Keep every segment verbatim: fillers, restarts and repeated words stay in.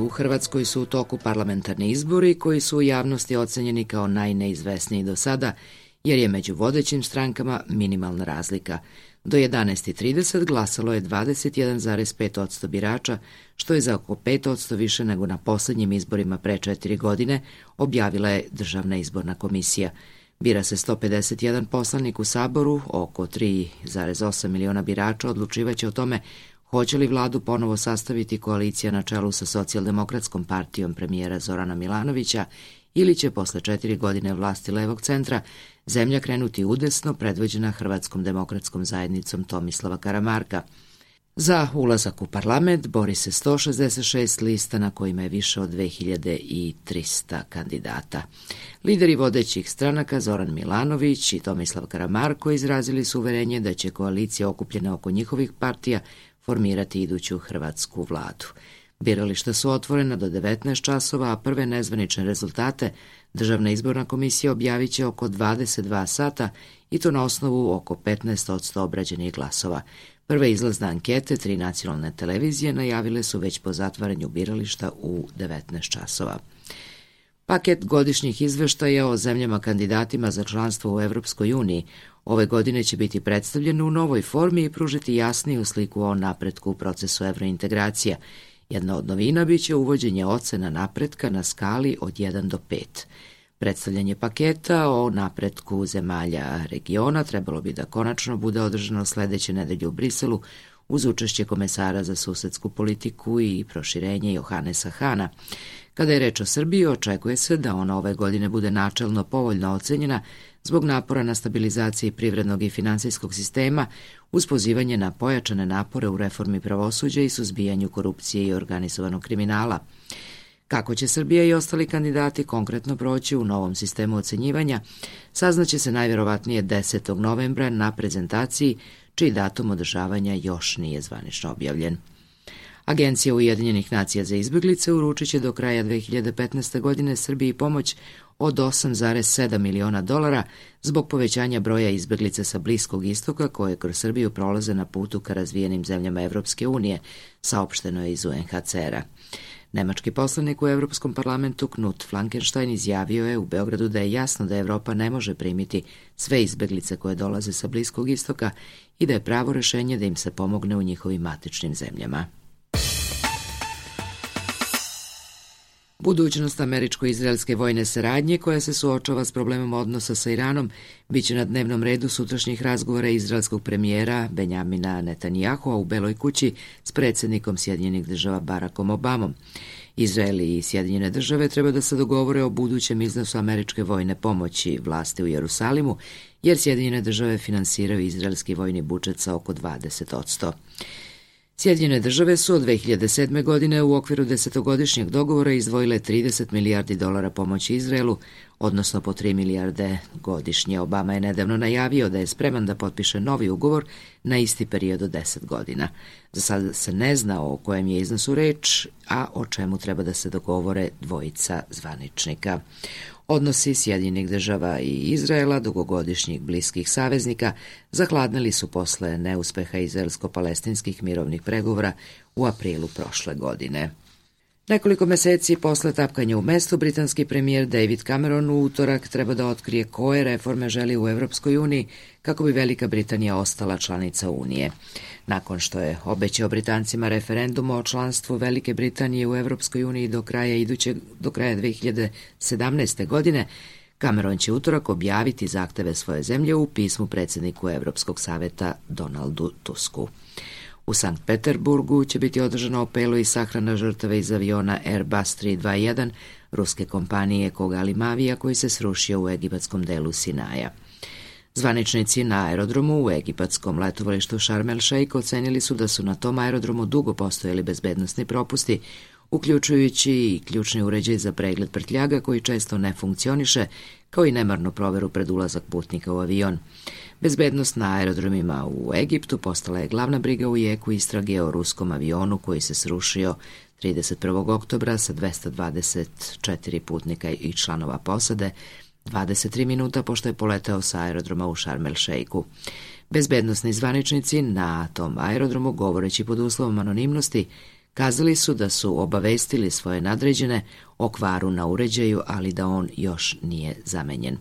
U Hrvatskoj su u toku parlamentarni izbori koji su u javnosti ocenjeni kao najneizvesniji do sada, jer je među vodećim strankama minimalna razlika. Do jedanaest trideset glasalo je dvadeset jedan zarez pet posto birača, što je za oko pet posto više nego na posljednjim izborima pre četiri godine, objavila je Državna izborna komisija. Bira se sto pedeset jedan poslanik u Saboru, oko tri zarez osam miliona birača odlučivaće o tome hoće li vladu ponovo sastaviti koalicija na čelu sa Socijaldemokratskom partijom premijera Zorana Milanovića ili će posle četiri godine vlasti levog centra zemlja krenuti udesno predvođena Hrvatskom demokratskom zajednicom Tomislava Karamarka. Za ulazak u parlament bori se sto šezdeset šest lista na kojima je više od dve hiljade trista kandidata. Lideri vodećih stranaka Zoran Milanović i Tomislav Karamarko izrazili su uverenje da će koalicija okupljena oko njihovih partija formirati iduću hrvatsku vladu. Birališta su otvorena do devetnaest časova, a prve nezvanične rezultate Državna izborna komisija objavit će oko dvadeset dva sata i to na osnovu oko petnaest posto obrađenih glasova. Prve izlazne ankete tri nacionalne televizije najavile su već po zatvaranju birališta u devetnaest časova. Paket godišnjih izveštaja o zemljama kandidatima za članstvo u Evropskoj uniji ove godine će biti predstavljen u novoj formi i pružiti jasniju sliku o napretku u procesu evrointegracija. Jedna od novina biće uvođenje ocena napretka na skali od jedan do pet. Predstavljanje paketa o napretku zemalja regiona trebalo bi da konačno bude održano sledeće nedelje u Briselu uz učešće komesara za susedsku politiku i proširenje Johanesa Hana. Kada je reč o Srbiji, očekuje se da ona ove godine bude načelno povoljno ocenjena zbog napora na stabilizaciji privrednog i finansijskog sistema uz pozivanje na pojačane napore u reformi pravosuđa i suzbijanju korupcije i organizovanog kriminala. Kako će Srbija i ostali kandidati konkretno proći u novom sistemu ocenjivanja, saznaće se najverovatnije desetog novembra na prezentaciji, čiji datum održavanja još nije zvanično objavljen. Agencija Ujedinjenih nacija za izbeglice uručit će do kraja dve hiljade petnaeste. godine Srbiji pomoć od osam zarez sedam miliona dolara zbog povećanja broja izbeglica sa Bliskog istoka koje kroz Srbiju prolaze na putu ka razvijenim zemljama Evropske unije, saopšteno je iz U N H C R-a. Nemački poslanik u Evropskom parlamentu Knut Flankenstein izjavio je u Beogradu da je jasno da Evropa ne može primiti sve izbeglice koje dolaze sa Bliskog istoka i da je pravo rešenje da im se pomogne u njihovim matičnim zemljama. Budućnost američko-izraelske vojne saradnje koja se suočava s problemom odnosa sa Iranom biće na dnevnom redu sutrašnjih razgovora izraelskog premijera Benjamina Netanjahua u Beloj kući s predsjednikom Sjedinjenih država Barackom Obamom. Izrael i Sjedinjene države treba da se dogovore o budućem iznosu američke vojne pomoći vlasti u Jerusalimu, jer Sjedinjene države finansiraju izraelski vojni budžet sa oko dvadeset posto. Sjedinjene države su od dve hiljade sedme. godine u okviru desetogodišnjeg dogovora izdvojile trideset milijardi dolara pomoći Izraelu, odnosno po tri milijarde godišnje. Obama je nedavno najavio da je spreman da potpiše novi ugovor na isti period od deset godina. Za sada se ne zna o kojem je iznosu reč, a o čemu treba da se dogovore dvojica zvaničnika. Odnosi Sjedinjenih država i Izraela, dugogodišnjih bliskih saveznika, zahladnili su posle neuspeha izraelsko-palestinskih mirovnih pregovora u aprilu prošle godine. Nekoliko meseci posle tapkanja u mestu, britanski premijer David Cameron u utorak treba da otkrije koje reforme želi u Evropskoj uniji kako bi Velika Britanija ostala članica Unije. Nakon što je obećao Britancima referendum o članstvu Velike Britanije u Evropskoj uniji do kraja idućeg do kraja dve hiljade sedamnaeste. godine, Cameron će utorak objaviti zahteve svoje zemlje u pismu predsjedniku Evropskog saveta Donaldu Tusku. U Sankt Peterburgu će biti održano opelo i sahrana žrtava iz aviona Airbus tri dva jedan ruske kompanije Kogali Mavija koji se srušio u egipatskom delu Sinaja. Zvaničnici na aerodromu u egipatskom letovalištu Sharm el Sheikh ocenili su da su na tom aerodromu dugo postojali bezbednosni propusti, uključujući i ključni uređaj za pregled prtljaga koji često ne funkcioniše, kao i nemarnu proveru pred ulazak putnika u avion. Bezbednost na aerodromima u Egiptu postala je glavna briga u jeku istrage o ruskom avionu koji se srušio trideset prvog oktobra sa dvesta dvadeset četiri putnika i članova posade, dvadeset tri minuta pošto je poletao sa aerodroma u Sharm el Sheikhu. Bezbednosni zvaničnici na tom aerodromu, govoreći pod uslovom anonimnosti, Kazali su da su obavestili svoje nadređene o kvaru na uređaju, ali da on još nije zamenjen.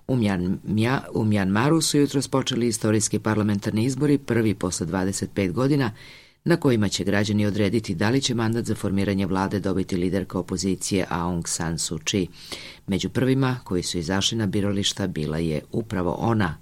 U, Mjanmja, u Mjanmaru su jutros počeli istorijski parlamentarni izbori, prvi posle dvadeset pet godina, na kojima će građani odrediti da li će mandat za formiranje vlade dobiti liderka opozicije Aung San Suu Kyi. Među prvima koji su izašli na birališta bila je upravo ona,